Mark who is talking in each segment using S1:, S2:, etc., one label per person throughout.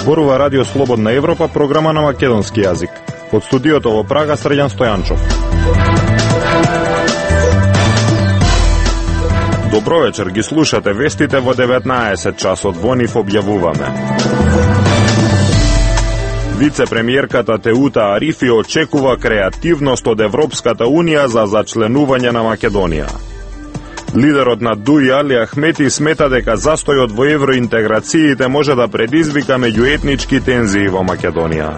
S1: Зборува Радио Слободна Европа, програма на македонски јазик. Од студиото во Прага, Срđan Стојанчов. Добро вечер, ги слушате вестите во 19 часот, во нив објавуваме. Вице-премиерката Теута Арифи очекува креативност од Европската Унија за зачленување на Македонија. Лидерот на ДУИ Али Ахмети смета дека застојот во евроинтеграциите може да предизвика меѓуетнички тензии во Македонија.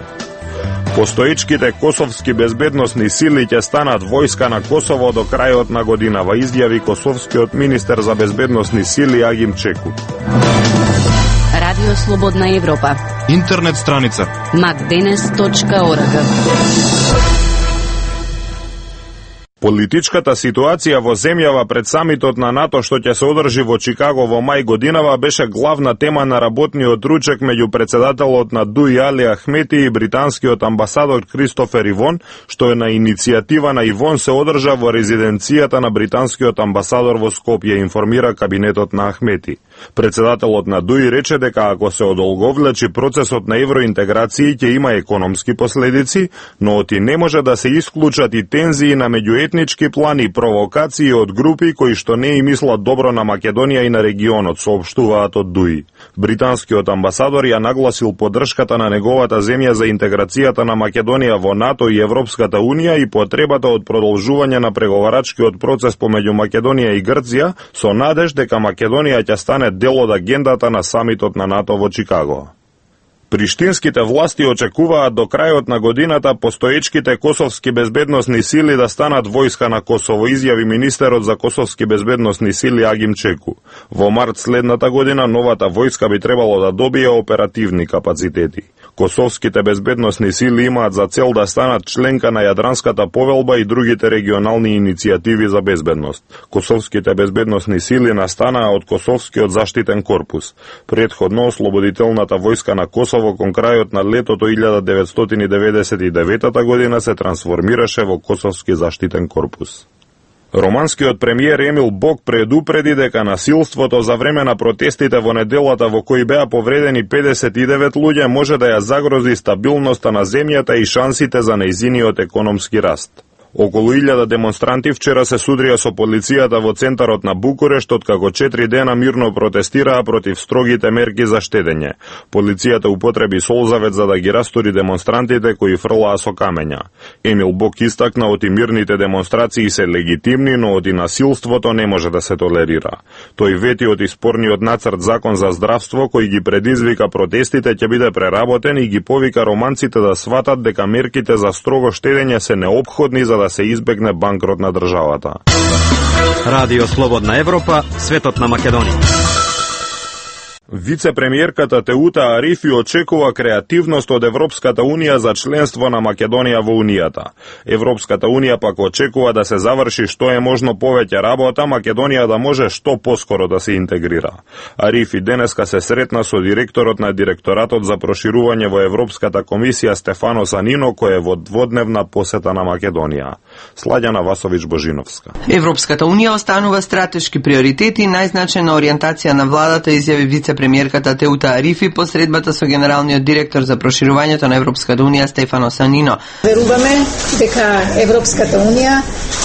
S1: Постоечките косовски безбедносни сили ќе станат војска на Косово до крајот на годинава, изјави косовскиот министер за безбедносни сили Агим Чеку.
S2: Радио Слободна Европа.
S3: Интернет страница
S2: macdenes.org.
S1: Политичката ситуација во земјава пред самитот на НАТО што ќе се одржи во Чикаго во мај годинава беше главна тема на работниот ручек меѓу председателот на ДУИ Али Ахмети и британскиот амбасадор Кристофер Ивон, што е на иницијатива на Ивон се одржа во резиденцијата на британскиот амбасадор во Скопје, информира кабинетот на Ахмети. Председателот на ДУИ рече дека ако се одолговлечи процесот на евроинтеграција ќе има економски последици, но оти не може да се исклучат и тензии на меѓуетнички план и провокации од групи кои што не и мислат добро на Македонија и на регионот, соопштуваат од ДУИ. Британскиот амбасадор ја нагласил поддршката на неговата земја за интеграцијата на Македонија во НАТО и Европската Унија и потребата од продолжување на преговарачкиот процес помеѓу Македонија и Грција, со надеж дека Македонија ќе стане дел од агендата на самитот на НАТО во Чикаго. Приштинските власти очекуваат до крајот на годината постоечките косовски безбедносни сили да станат војска на Косово, изјави министерот за косовски безбедносни сили Агим Чеку. Во март следната година новата војска би требало да добие оперативни капацитети. Косовските безбедносни сили имаат за цел да станат членка на Јадранската повелба и другите регионални иницијативи за безбедност. Косовските безбедносни сили настанаа од Косовскиот заштитен корпус. Претходно ослободителната војска на Косово кон крајот на летото 1999 година се трансформираше во Косовски заштитен корпус. Романскиот премиер Емил Бок предупреди дека насилството за време на протестите во неделата во кои беа повредени 59 луѓе може да ја загрози стабилноста на земјата и шансите за нејзиниот економски раст. Околу 1000 демонстранти вчера се судрија со полицијата во центарот на Букурешт, откако 4 дена мирно протестираа против строгите мерки за штедење. Полицијата употреби солзавет за да ги растури демонстрантите кои фрлаа со камења. Емил Бок истакна оти мирните демонстрации се легитимни, но оти насилството не може да се толерира. Тој вети оти спорниот нацрт закон за здравство кој ги предизвика протестите ќе биде преработен и ги повика романците да сватат дека мерките за строго штедење се неопходни за да се избегне банкрот на државата.
S4: Радио Слободна Европа, светот на Македонија.
S1: Вице-премиерката Теута Арифи очекува креативност од Европската Унија за членство на Македонија во Унијата. Европската Унија пак очекува да се заврши што е можно повеќе работа, Македонија да може што поскоро да се интегрира. Арифи денеска се сретна со директорот на Директоратот за проширување во Европската комисија Стефано Санино, кој е во дводневна посета на Македонија. Сладјана Васовиќ-Божиновска.
S5: Европската Унија останува стратешки приоритети и најзначајна ориентација на владата, изјави вице-премиерката Теута Арифи по средбата со генералниот директор за проширувањето на Европската Унија Стефано Санино.
S6: Веруваме дека Европската Унија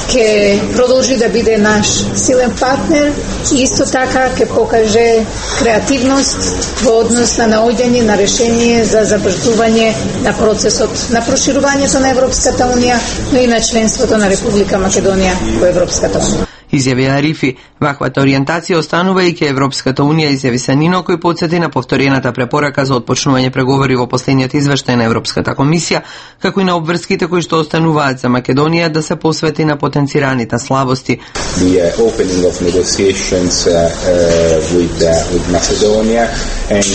S6: ќе продолжи да биде наш силен партнер и исто така ќе покаже креативност во однос на наоѓање на решение за забрзување на процесот на проширувањето на Европската Унија, но и на членството на Република Македонија во Европската Унија.
S5: Изјави Арифи, ваквата ориентација останува и ке Европската Унија, изјави Санино, кој потсети на повторената препорака за отпочнување преговори во последниот извештај на Европската комисија, како и на обврските кои што остануваат за Македонија да се посвети на потенцираните слабости.
S7: The opening of negotiations with Macedonia and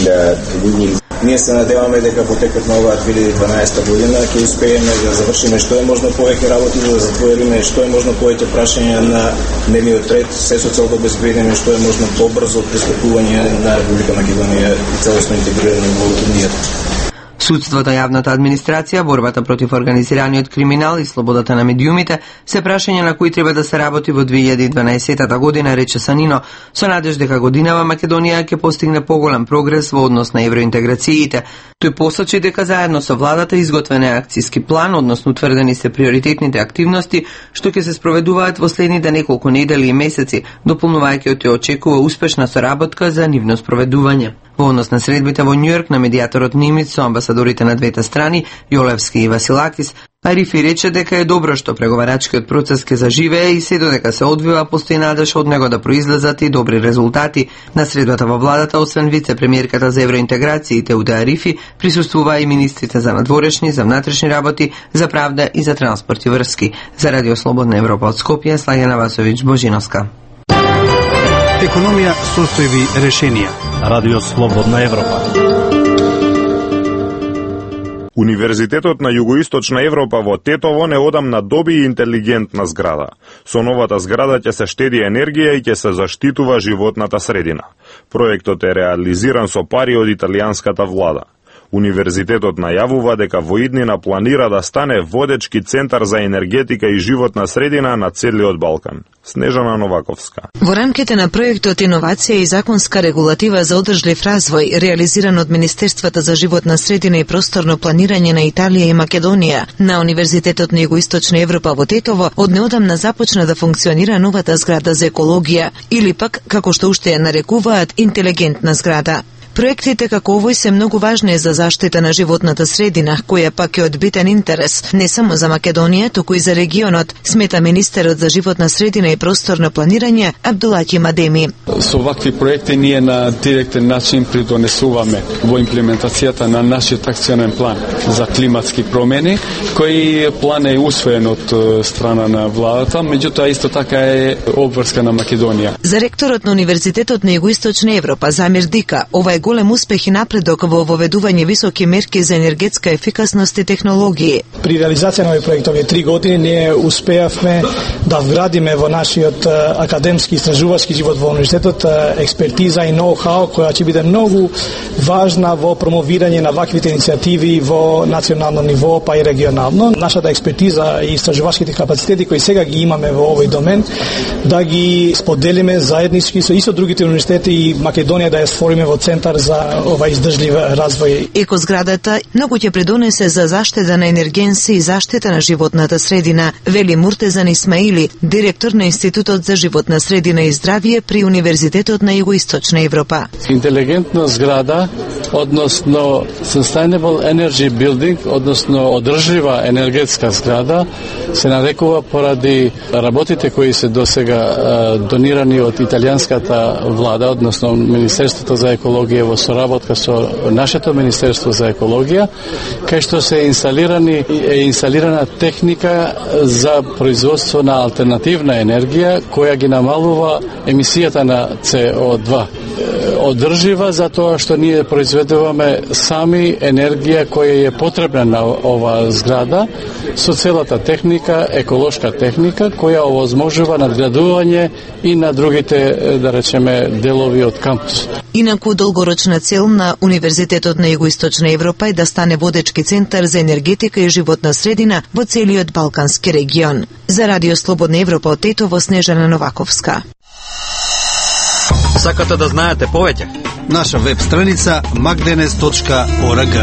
S7: we will Ние се надеваме дека по текот на оваа 2012 година ќе успееме да завршиме што е можно повеќе работи, да затвориме што е можно повеќе прашања на дневниот ред, се со цел да обезбедиме што е можно побрзо пристапување на Република Македонија и целосно интегрирање во Унијата.
S5: Судството, јавната администрација, борбата против организираниот криминал и слободата на медиумите се прашања на кои треба да се работи во 2012 година, рече Санино, со надеж дека годинава Македонија ќе постигне поголем прогрес во однос на евроинтеграциите. Тој посочи дека заедно со владата изготвен е акцијски план, односно утврдени се приоритетните активности што ќе се спроведуваат во следните неколку недели и месеци, дополнувајќи од тој очекува успешна соработка за нивно спроведување. Во однос на средбите во Њујорк на медијаторот Нимиц со амбасадорите на двете страни, Јолевски и Василакис, Арифи рече дека е добро што преговарачкиот процес ќе заживее и се додека се одвива постои надеж од него да произлезат и добри резултати. На средбата во владата, освен вице-премиерката за евроинтеграциите Уде Арифи, присуствуваа и министрите за надворешни, за внатрешни работи, за правда и за транспорт и врски. За Радио Слободна Европа од Скопје, Слаѓана Васовиќ Божиновска.
S3: Економија, состојби, решенија.
S8: Радио Слободна Европа.
S1: Универзитетот на Југоисточна Европа во Тетово неодамна доби интелигентна зграда. Со новата зграда ќе се штеди енергија и ќе се заштитува животната средина. Проектот е реализиран со пари од италијанската влада. Универзитетот најавува дека во иднина планира да стане водечки центар за енергетика и животна средина на целиот Балкан. Снежана Новаковска.
S9: Во рамките на проектот Иновација и законска регулатива за одржлив развој, реализиран од Министерството за животна средина и просторно планирање на Италија и Македонија, на Универзитетот на Југоисточна Европа во Тетово, од неодамна започна да функционира новата зграда за екологија, или пак, како што уште ја нарекуваат, интелигентна зграда. Проектите како овој се многу важни за заштита на животната средина, која пак е од битен интерес не само за Македонија, туку и за регионот, смета министерот за животна средина и просторно планирање Абдулаќи Мадеми.
S10: Со вакви проекти ние на директен начин придонесуваме во имплементацијата на нашиот акционен план за климатски промени, кој план е усвоен од страна на владата, меѓутоа исто така е обврска на Македонија.
S9: За ректорот на Универзитетот на Југоисточна Европа Замир Дика, ова е голем успех и напредок во воведување високи мерки за енергетска ефикасност и технологии.
S11: При реализација на овој проект овие 3 години ние успеавме да вградиме во нашиот академски истражувачки живот во универзитетот експертиза и ноу-хау која ќе биде многу важна во промовирање на ваквите иницијативи во национално ниво па и регионално. Нашата експертиза и истражувачките капацитети кои сега ги имаме во овој домен да ги споделиме заеднички со исто другите универзитети и Македонија да ја створиме во центар за ова издржлив развој.
S9: Екозградата многу ќе придонесе за заштита на енергенси и заштита на животната средина, вели Муртезан Исмаили, директор на Институтот за животна средина и здравје при Универзитетот на Југоисточна Европа.
S10: Интелигентна зграда, односно Sustainable Energy Building, односно одржлива енергетска зграда, се нарекува поради работите кои се досега донирани од италијанската влада, односно Министерството за екологија во соработка со нашето Министерство за екологија, кај што се инсталирана техника за производство на алтернативна енергија која ги намалува емисијата на CO2. Одржива за тоа што ние произведуваме сами енергија која е потребна на ова зграда со целата техника, еколошка техника која овозможува надградување и на другите, да речеме, делови од кампус.
S9: Инаку долгорочна цел на Универзитетот на Југоисточна Европа е да стане водечки центар за енергетика и животна средина во целиот Балкански регион. За Радио Слободна Европа од Тетово, Снежана Новаковска.
S4: Сакате да знаете повеќе?
S3: Наша веб страница magdenes.org.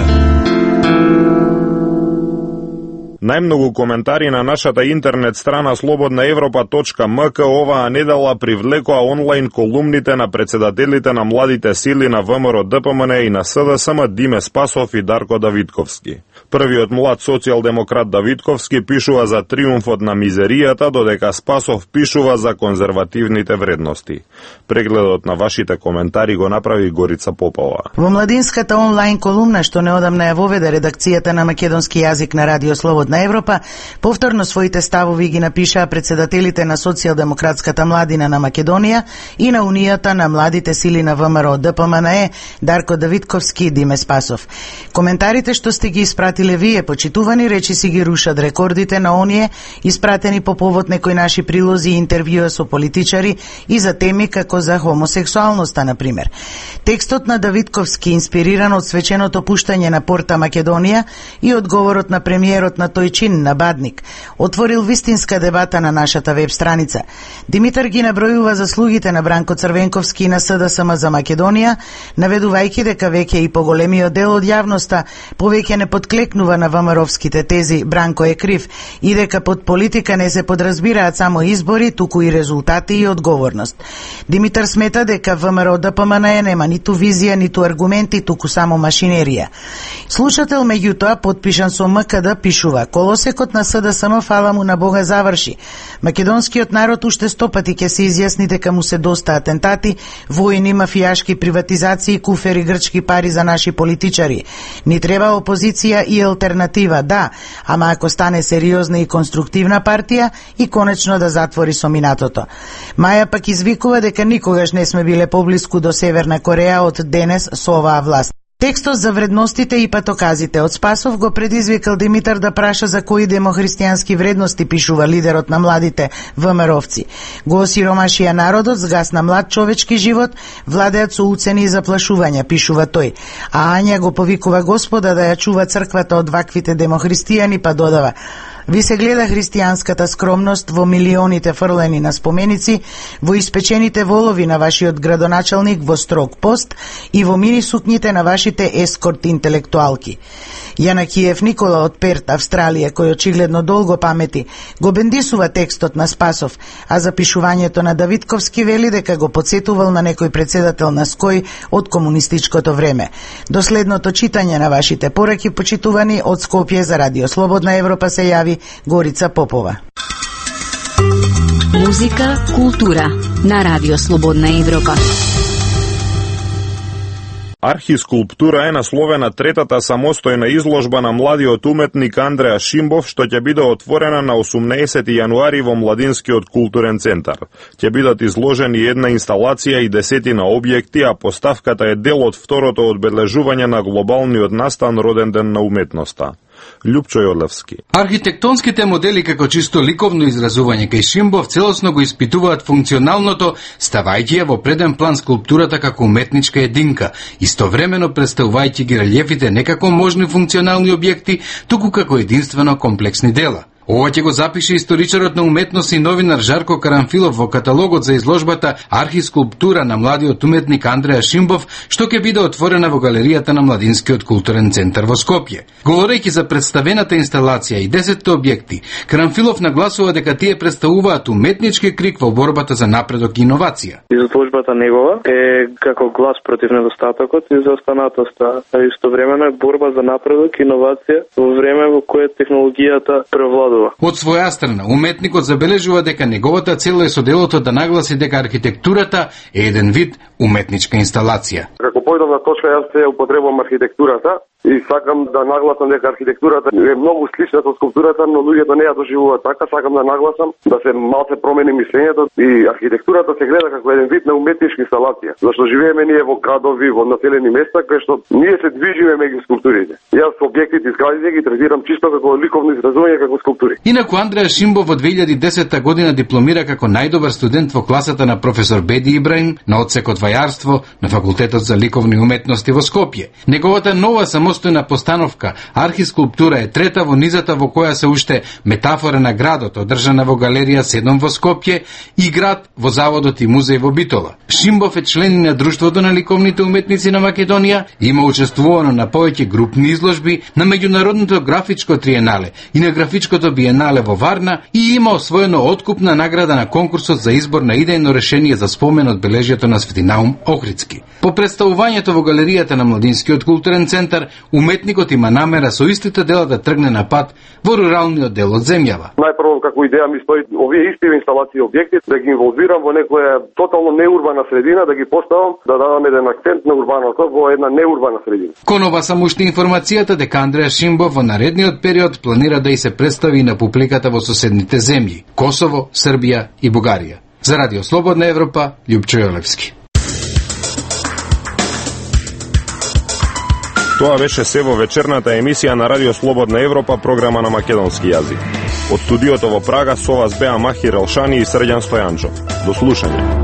S1: Најмногу коментари на нашата интернет страна slobodnaevropa.mk оваа недела привлекоа онлайн колумните на председателите на младите сили на ВМРО ДПМН и на СДСМ Диме Спасов и Дарко Давидковски. Првиот млад социјалдемократ Давидковски пишува за триумфот на мизеријата, додека Спасов пишува за конзервативните вредности. Прегледот на вашите коментари го направи Горица Попова.
S12: Во младинската онлайн колумна што неодамна ја воведе редакцијата на македонски јазик на Радио Слободна Европа, повторно своите ставови ги напишаа председателите на Социјалдемократската младина на Македонија и на Унијата на младите сили на ВМРО ДПМН Дарко Давидковски и Диме Спасов. Коментарите што сте ги испратили Василе, вие, почитувани, речиси ги рушат рекордите на оние испратени по повод некои наши прилози и интервјуа со политичари и за теми како за хомосексуалноста, например. Текстот на Давидковски, инспириран од свеченото пуштање на Порта Македонија и одговорот на премиерот на тој чин на Бадник, отворил вистинска дебата на нашата веб страница. Димитар ги набројува заслугите на Бранко Црвенковски и на СДСМ за Македонија, наведувајќи дека веќе и поголемиот дел од јавноста повеќе не подклекнува на ВМРО-вските тези Бранко е крив и дека под политика не се подразбираат само избори, туку и резултати и одговорност. Димитар смета дека ВМРО ДПМН нема ниту визија, ниту аргументи, туку само машинерија. Слушател меѓутоа, подпишан со МКД, пишува: колосекот на СДСМ, фала му на Бога, заврши. Македонскиот народ уште 100 пати ќе се изјасни дека му се доста атентати, војни, мафијашки приватизации, куфери грчки пари за наши политичари. Ни треба опозиција и алтернатива, да, ама ако стане сериозна и конструктивна партија и конечно да затвори со минатото. Маја пак извикува дека никогаш не сме биле поблиску до Северна Кореја од денес со оваа власт. Текстот за вредностите и патоказите од Спасов го предизвикал Димитар да праша за кои демохристијански вредности пишува лидерот на младите ВМРО-вци. Го осиромашија народот, згасна млад човечки живот, владеат со уцени и заплашувања, пишува тој. А Ања го повикува Господа да ја чува црквата од ваквите демохристијани, па додава: ви се гледа христијанската скромност во милионите фрлени на споменици, во испечените волови на вашиот градоначалник во строг пост и во мини сукњите на вашите ескорт интелектуалки. Јана Киев Никола од Перт, Австралија, кој очигледно долго памети, го бендисува текстот на Спасов, а запишувањето на Давидковски вели дека го подсетувал на некој председател на СКОј од комунистичкото време. До следното читање на вашите пораки, почитувани, од Скопје за Радио Слободна Европа се јави Горица Попова.
S2: Музика, култура на Радио Слободна Европа.
S1: Архискулптура е насловена третата самостојна изложба на младиот уметник Андреа Шимбов, што ќе биде отворена на 18 јануари во Младинскиот културен центар. Ќе бидат изложени една инсталација и 10 објекти, а поставката е дел од второто одбележување на глобалниот настан Роден ден на уметноста. Љупчо Јорлевски.
S13: Архитектонските модели како чисто ликовно изразување кај Шимбов целосно го испитуваат функционалното, ставајќи ја во преден план скулптурата како уметничка единка, истовремено представувајќи ги релјефите не како можни функционални објекти, туку како единствено комплексни дела. Ова ќе го запише историчарот на уметност и новинар Жарко Карамфилов во каталогот за изложбата Архискулптура на младиот уметник Андреа Шимбов, што ќе биде отворена во галеријата на Младинскиот културен центар во Скопје. Говорејќи за представената инсталација и 10 објекти, Карамфилов нагласува дека тие представуваат уметнички крик во борбата за напредок и иновација.
S14: Изложбата негова е како глас против недостатокот и заостанатоста, а истовремено е борба за напредок и иновација во време во кое технологијата превладува.
S13: Од своја страна, уметникот забележува дека неговата цел е со делото да нагласи дека архитектурата е еден вид уметничка инсталација.
S15: Како појдовна точка јас се употребувам архитектурата и сакам да нагласам дека архитектурата е многу слична со скулптурата, но луѓето не ја доживуваат така. Сакам да нагласам да се малце промени мислењето и архитектурата се гледа како еден вид на уметничка инсталација. Зашто живееме ние во градови, во населени места кај што ние се движиме меѓу скулптурите. Јас објектите и зградите ги третирам чисто како ликовно изразување, како скулптури.
S13: Инаку Андреа Шимбов во 2010 година дипломира како најдобар студент во класата на професор Беди Ибраим на одсекот вајарство на Факултетот за ликовни уметности во Скопје. Неговата нова самостојна постановка Архискулптура е трета во низата во која се уште метафора на градот, одржана во галерија 7 во Скопје и град во заводот и музеј во Битола. Шимбов е член на Друштвото на ликовните уметници на Македонија, има учествувано на повеќе групни изложби на меѓународното графичко триенале и на графичкото биенале во Варна и има освоено откупна награда на конкурсот за избор на идејно решение за спомен од бележјето на Свети Наум Охридски. По представувањето во галеријата на Младинскиот културен центар, уметникот има намера со истите дела да тргне на пат во руралниот дел од земјава.
S15: Најпрво како идеја ми стои овие исти инсталации и објекти да ги инволвирам во некоја тотално неурбана средина, да ги поставам, да дадам еден акцент на урбаното во една неурбана средина.
S13: Конова само уште информацијата дека Андреа Шимбов во наредниот период планира да и се представи на публиката во соседните земји Косово, Србија и Бугарија. За Радио Слободна Европа, Љупчо Јолевски.
S1: Тоа беше се во вечерната емисија на Радио Слободна Европа, програма на македонски јазик. Од студиото во Прага со вас беа Махир Елшани и Срđan Стојанчов. До слушање.